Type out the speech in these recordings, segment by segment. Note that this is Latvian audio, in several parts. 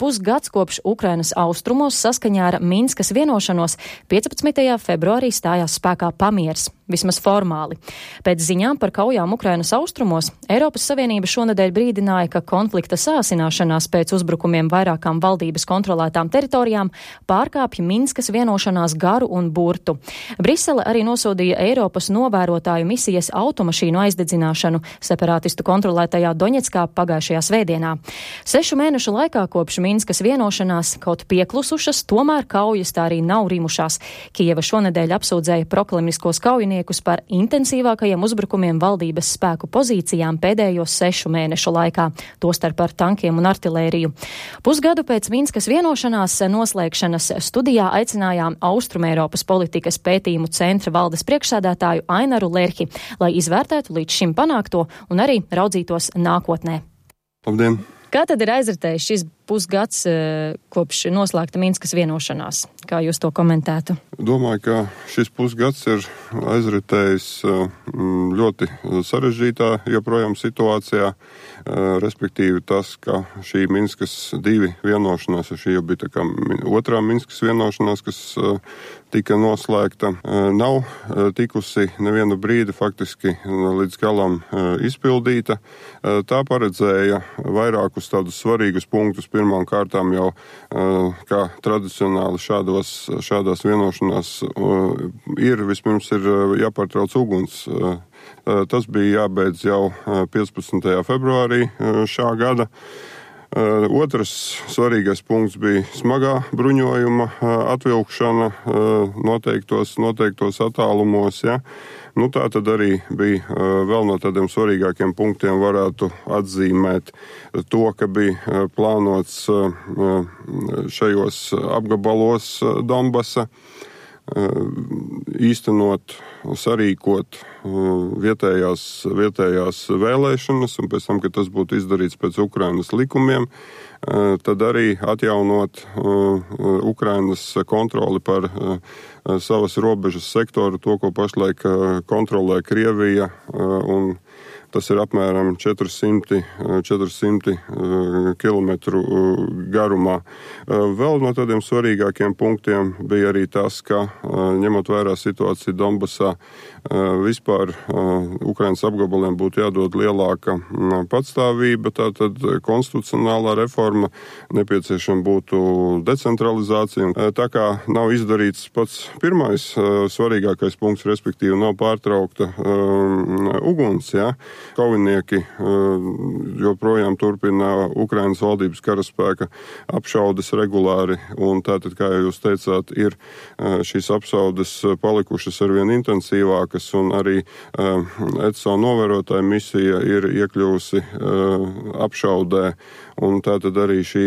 pusgads kopš Ukrainas austrumos saskaņā ar Minskas vienošanos 15. februārī stājās spēkā pamiers, vismaz formāli. Pēc ziņām par kaujām Ukrainas austrumos Eiropas Savienība šonedēļ brīdināja, ka konflikta sāsināšanās pēc uzbrukumiem vairākām valdības kontrolētām teritorijām pārkāpja Minskas vienošanās garu un burtu. Brisele arī nosodīja Eiropas novērotāju misijas automašīnu aizdedzināšanu separātistu kontrolētajā Doņetskā pagājušajā svētdienā. 6 mēnešu laikā kopš Minskas vienošanās kaut pieklusušas, tomēr kaujas tā arī nav rimušās. Kijeva šonedēļ apsūdzēja prokremliskos kaujiniekus par intensīvākajiem uzbrukumiem valdības spēku pozīcijām pēdējos 6 mēnešu laikā, tostarp ar tankiem un artilēriju. Pusgadu pēc Minskas vienošanās noslēgšanas studijā aicinājām Austrumeiropas politikas pētījumu centra valdes priekšsēdētāju Ainaru Lerhi, lai izvērtētu līdz šim panākto un arī raudzītos nākotnē. Labdien! Kā tad ir aizritējis šis pusgads kopš noslēgta Minskas vienošanās? Kā jūs to komentētu? Domāju, ka šis pusgads ir aizritējis ļoti sarežģītā joprojām situācijā, respektīvi tas, ka šī Minskas 2 vienošanās, šī jau bija tā kā otrā Minskas vienošanās, kas tika noslēgta, nav tikusi nevienu brīdi faktiski līdz galam izpildīta. Tā paredzēja vairākus tādus svarīgus punktus. Pirmām kārtām jau, kā tradicionāli šādās vienošanās vispirms ir jāpārtrauc uguns. Tas bija jābeidz jau 15. februārī šā gada. Otrs svarīgais punkts bija smagā bruņojuma atvilkšana noteiktos attālumos. Ja. Tā tad arī bija vēl no tādiem svarīgākiem punktiem varētu atzīmēt to, ka bija plānots šajos apgabalos Donbasa īstenot, sarīkot vietējās vēlēšanas, un pēc tam, kad tas būtu izdarīts pēc Ukrainas likumiem, tad arī atjaunot Ukrainas kontroli par savas robežas sektoru, to, ko pašlaik kontrolē Krievija, un tas ir apmēram 400 kilometru garumā. Vēl no tādiem svarīgākiem punktiem bija arī tas, ka ņemot vērā situāciju Donbasā, vispār Ukrainas apgabaliem būtu jādod lielāka patstāvība, tātad konstitucionālā reforma, nepieciešama būtu decentralizācija. Tā kā nav izdarīts pats pirmais svarīgākais punkts, respektīvi nav pārtraukta uguns, ja. Kaujinieki joprojām turpina Ukrainas valdības karaspēka apšaudes regulāri, un tātad, kā jūs teicāt, ir šīs apšaudes palikušas arvien intensīvākas, un arī ECO novērotāja misija ir iekļuvusi apšaudē, un tātad arī šī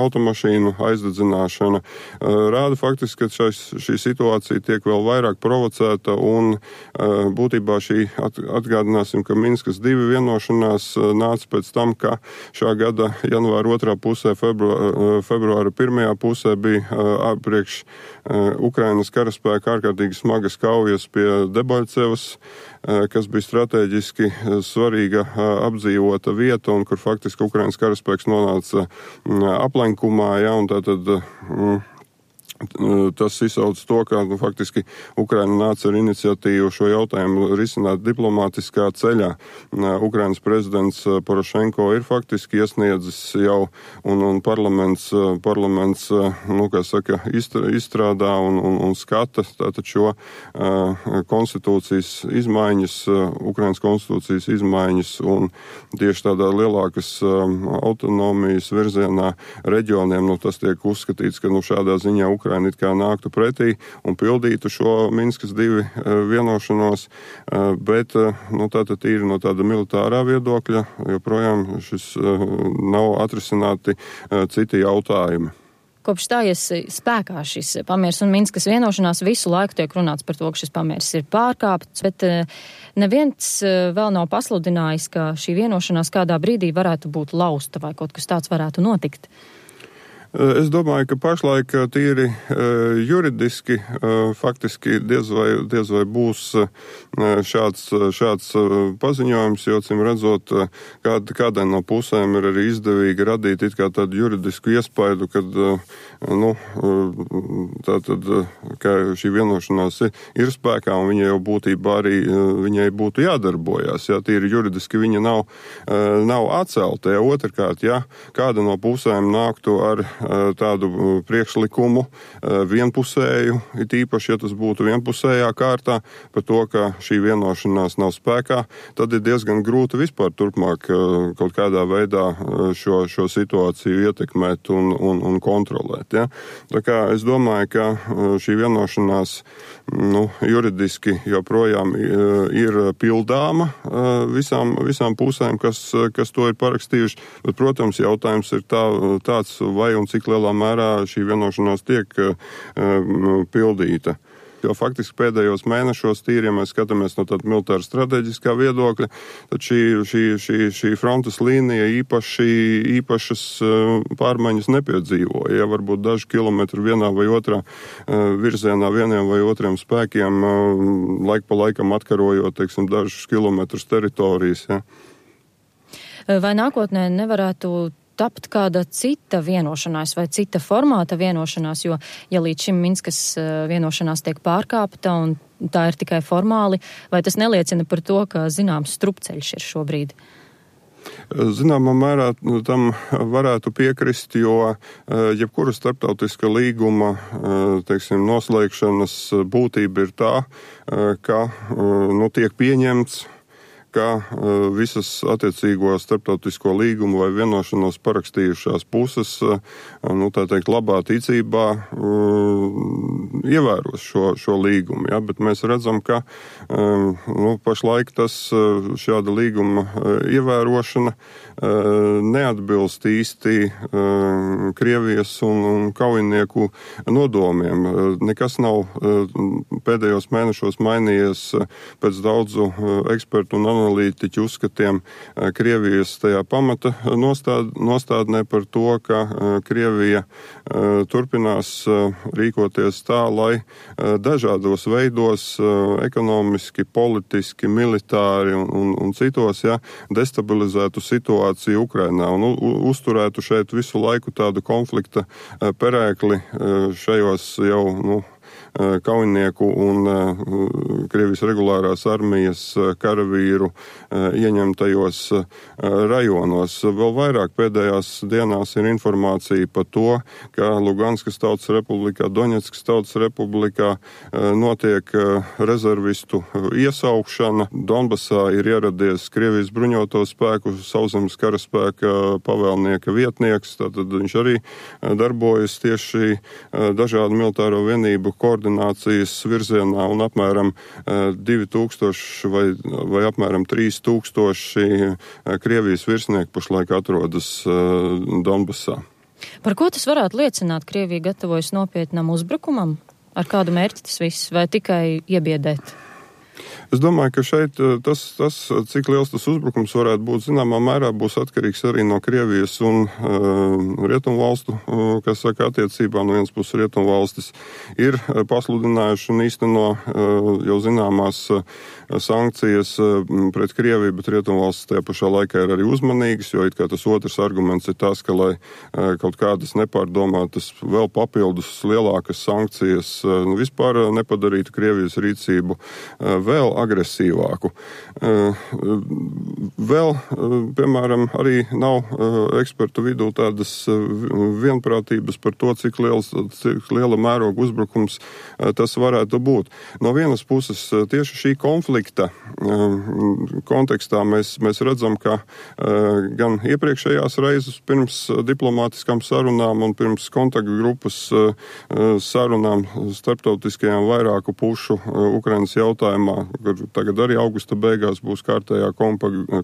automašīnu aizdedzināšana rāda faktiski, ka šī situācija tiek vēl vairāk provocēta, un būtībā šī atgādināsim, ka Minskas 2 vienošanās nāca pēc tam, ka šā gada janvāra 2. pusē, februāra 1. pusē bija priekš Ukrainas karaspēka ārkārtīgi smagas kaujas pie Debalcevas, kas bija strateģiski svarīga apdzīvota vieta, un kur faktiski Ukrainas karaspēks nonāca aplenkumā, ja, un tātad tas izsauc to, ka faktiski Ukraina nāca ar iniciatīvu šo jautājumu risināt diplomātiskā ceļā. Ukrainas prezidents Porošenko ir faktiski iesniedzis jau, un parlaments izstrādā un skata tātad šo konstitūcijas izmaiņas, Ukrainas konstitūcijas izmaiņas, un tieši tādā lielākas autonomijas virzienā reģioniem, tas tiek uzskatīts, ka šādā ziņā Ukraina it kā nāktu pretī un pildītu šo Minskas 2 vienošanos, bet tātad tīri no tāda militārā viedokļa joprojām šis nav atrisināti citi jautājumi. Kopš stājies spēkā šis pamiers un Minskas vienošanās, visu laiku tiek runāts par to, ka šis pamiers ir pārkāpts, bet neviens vēl nav pasludinājis, ka šī vienošanās kādā brīdī varētu būt lausta vai kaut kas tāds varētu notikt. Es domāju, ka pašlaik tīri juridiski faktiski diez vai būs šāds paziņojums, jo, cim redzot, kādai no pusēm ir arī izdevīgi radīt it kā tādu juridisku iespaidu, kad, tātad, ka šī vienošanās ir spēkā un viņa jau būtībā arī viņai būtu jādarbojās. Ja, tīri juridiski viņa nav atcelta. Ja, otrkārt, ja kāda no pusēm nāktu ar tādu priekšlikumu vienpusēju, it īpaši, ja tas būtu vienpusējā kārtā, par to, ka šī vienošanās nav spēkā, tad ir diezgan grūti vispār turpmāk kaut kādā veidā šo situāciju ietekmēt un kontrolēt. Ja? Tā kā es domāju, ka šī vienošanās juridiski joprojām ir pildāma visām pusēm, kas to ir parakstījuši, bet, protams, jautājums ir tāds, vai un cik lielā mērā šī vienošanās tiek pildīta. Jo faktiski pēdējos mēnešos tīri, ja mēs skatāmies no tāda militāra strateģiskā viedokļa, tad šī frontes līnija īpašas pārmaiņas nepiedzīvoja. Ja varbūt daži kilometri vienā vai otrā virzienā vieniem vai otriem spēkiem laik pa laikam atkarojot, teiksim, dažus kilometrus teritorijas. Ja. Vai nākotnē nevarētu tapt kāda cita vienošanās vai cita formāta vienošanās, jo, ja līdz šim Minskas vienošanās tiek pārkāpta un tā ir tikai formāli, vai tas neliecina par to, ka zināms strupceļš ir šobrīd? Zināmā mērā tam varētu piekrist, jo jebkura starptautiska līguma, teiksim, noslēgšanas būtība ir tā, ka tiek pieņemts, ka visas attiecīgo starptautisko līgumu vai vienošanos parakstījušās puses, tā teikt, labā ticībā ievēros šo līgumu. Ja? Bet mēs redzam, ka pašlaik šāda līguma ievērošana neatbilst īsti Krievijas un kaujinieku nodomiem. Nekas nav pēdējos mēnešos mainījies pēc daudzu ekspertu un analītiķu uzskatiem Krievijas tajā pamata nostādnē par to, ka Krievija turpinās rīkoties tā, lai dažādos veidos ekonomiski, politiski, militāri un citos destabilizētu situāciju Ukrainā un uzturētu šeit visu laiku tādu konflikta perēkli šajos jau, kaujinieku un Krievijas regulārās armijas karavīru ieņemtajos rajonos. Vēl vairāk pēdējās dienās ir informācija par to, ka Luganskas Tautas Republikā, Doņetskas Tautas Republikā notiek rezervistu iesaukšana. Donbasā ir ieradies Krievijas bruņoto spēku sauszemes karaspēka pavēlnieka vietnieks, tātad viņš arī darbojas tieši dažādu militāro vienību koordinācijas virzienā un apmēram 2000 vai apmēram 3000 Krievijas virsnieku pašlaik atrodas Donbasā. Par ko tas varētu liecināt? Krievija gatavojas nopietnam uzbrukumam? Ar kādu mērķi tas viss? Vai tikai iebiedēt? Es domāju, ka šeit tas, cik liels tas uzbrukums varētu būt, zināmā mērā būs atkarīgs arī no Krievijas un rietumvalstu, kas saka, attiecībā no vienas puses rietumvalstis ir pasludinājuši un īsteno jau zināmās sankcijas pret Krieviju, bet rietumvalstis tajā pašā laikā ir arī uzmanīgas, jo it kā tas otrs arguments ir tas, ka lai kaut kādas nepārdomātas vēl papildus lielākas sankcijas vispār nepadarītu Krievijas rīcību vēl agresīvāku. Vēl, piemēram, arī nav ekspertu vidū tādas vienprātības par to, cik liela mēroga uzbrukums tas varētu būt. No vienas puses, tieši šī konflikta kontekstā mēs redzam, ka gan iepriekšējās reizes pirms diplomātiskām sarunām un pirms kontaktu grupas sarunām starptautiskajām vairāku pušu Ukrainas jautājumā kur tagad arī augusta beigās būs kārtējā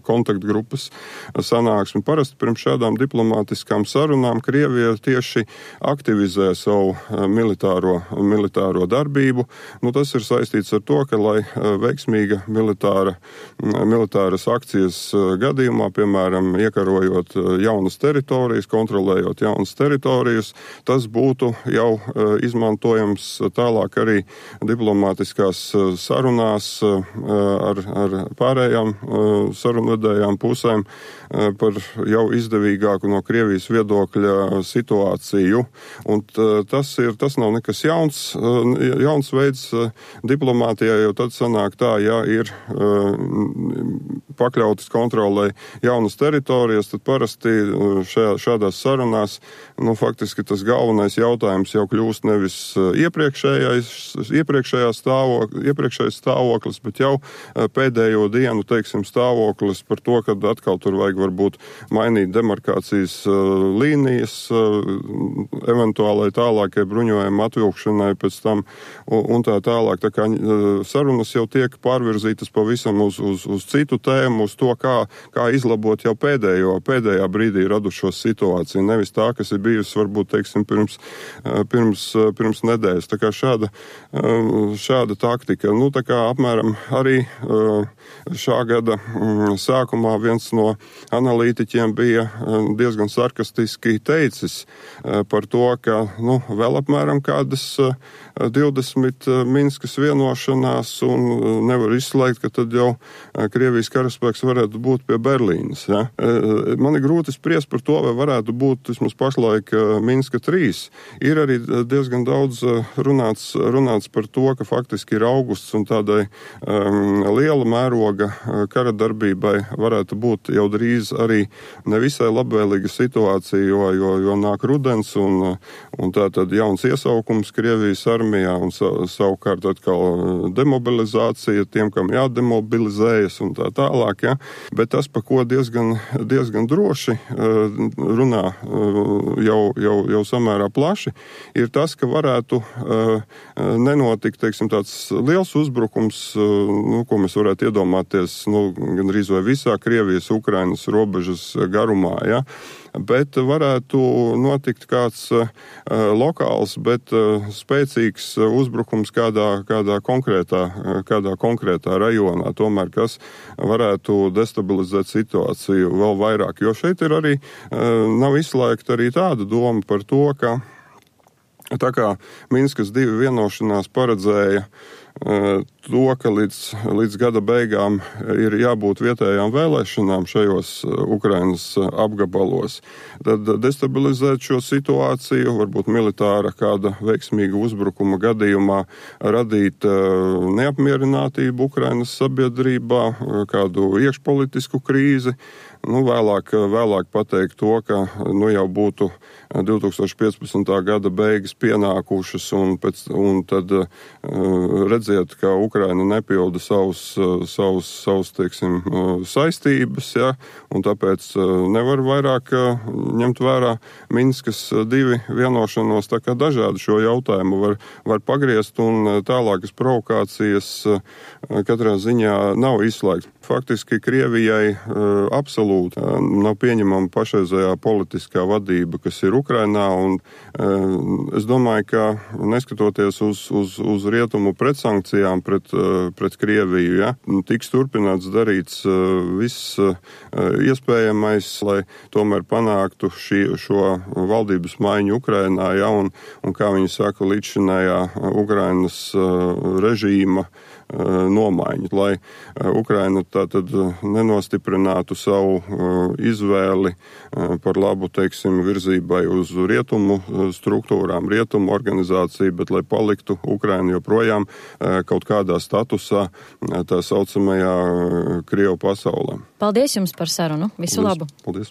kontaktgrupas sanāksme. Parasti pirms šādām diplomātiskām sarunām Krievija tieši aktivizē savu militāro darbību. Tas ir saistīts ar to, ka, lai veiksmīga militāras akcijas gadījumā, piemēram, iekarojot jaunas teritorijas, kontrolējot jaunas teritorijas, tas būtu jau izmantojams tālāk arī diplomātiskās sarunās ar pārējām sarunvedējām pusēm par jau izdevīgāku no Krievijas viedokļa situāciju. Un tas nav nekas jauns veids diplomātijā, jo tad sanāk tā, ja ir pakļautas kontrolē jaunas teritorijas, tad parasti šādās sarunās, faktiski tas galvenais jautājums jau kļūst nevis iepriekšējais stāvoklis, bet jau pēdējo dienu, stāvoklis par to, kad atkal tur vajag varbūt mainīt demarkācijas līnijas, eventuālai tālākai bruņojuma atvilkšanai pēc tam un tā tālāk. Tā kā sarunas jau tiek pārvirzītas pavisam uz citu tēmu, uz to, kā izlabot jau pēdējā brīdī radušo situāciju, nevis tā, kas ir bijusi varbūt, pirms nedēļas. Tā kā šāda taktika. Tā kā apmēram arī šā gada sākumā viens no analītiķiem bija diezgan sarkastiski teicis par to, ka vēl apmēram kādas 20 Minskas vienošanās un nevar izslēgt, ka tad jau Krievijas karaspēks varētu būt pie Berlīnas. Ja? Man ir grūti spriest par to, vai varētu būt vismaz pašlaik Minska 3. Ir arī diezgan daudz runāts par to, ka faktiski ir augusts un tādai liela mēroga kara darbībai varētu būt jau drīz arī nevisai labvēlīga situācija, jo nāk rudens un tā tad jauns iesaukums Krievijas armijā un savukārt atkal demobilizācija tiem, kam jādemobilizējas un tā tālāk. Ja? Bet tas, pa ko diezgan droši runā jau samērā plaši, ir tas, ka varētu nenotikt, tāds liels uzbrukums, ko mēs varētu iedomāties, gandrīz vai visā Krievijas, Ukrainas robežas garumā, ja? Bet varētu notikt kāds lokāls, bet spēcīgs uzbrukums kādā konkrētā rajonā, tomēr, kas varētu destabilizēt situāciju vēl vairāk. Jo šeit ir arī, nav izslēgta arī tāda doma par to, ka tā kā Minskas 2 vienošanās paredzēja to, ka līdz gada beigām ir jābūt vietējām vēlēšanām šajos Ukrainas apgabalos, tad destabilizēt šo situāciju, varbūt militāra kāda veiksmīga uzbrukuma gadījumā radīt neapmierinātību Ukrainas sabiedrībā, kādu iekšpolitisku krīzi, vēlāk pateikt to, ka jau būtu 2015. gada beigas pienākušas un tad redzēt, ka Ukraina nepilda savus saistības, ja, un tāpēc nevar vairāk ņemt vērā Minskas 2 vienošanos, tā kā dažādi šo jautājumu var pagriezt un tālākas provokācijas katrā ziņā nav izslēgts. Faktiski Krievijai absolūti nav pieņemama pašreizējā politiskā vadība, kas ir Ukrainā, un es domāju, ka neskatoties uz rietumu pretsankcijām pret Krieviju, ja, tiks turpināts darīts viss iespējamais, lai tomēr panāktu šo valdības maiņu Ukrainā, ja, un kā viņi saka, līdzšinējā Ukrainas režīma nomaiņu, lai Ukraina tātad nenostiprinātu savu izvēli par labu, virzībai uz rietumu struktūrām, rietumu organizāciju, bet lai paliktu Ukraina joprojām kaut kādā statusā tā saucamajā Krievu pasaulē. Paldies jums par sarunu. Visu labu. Paldies.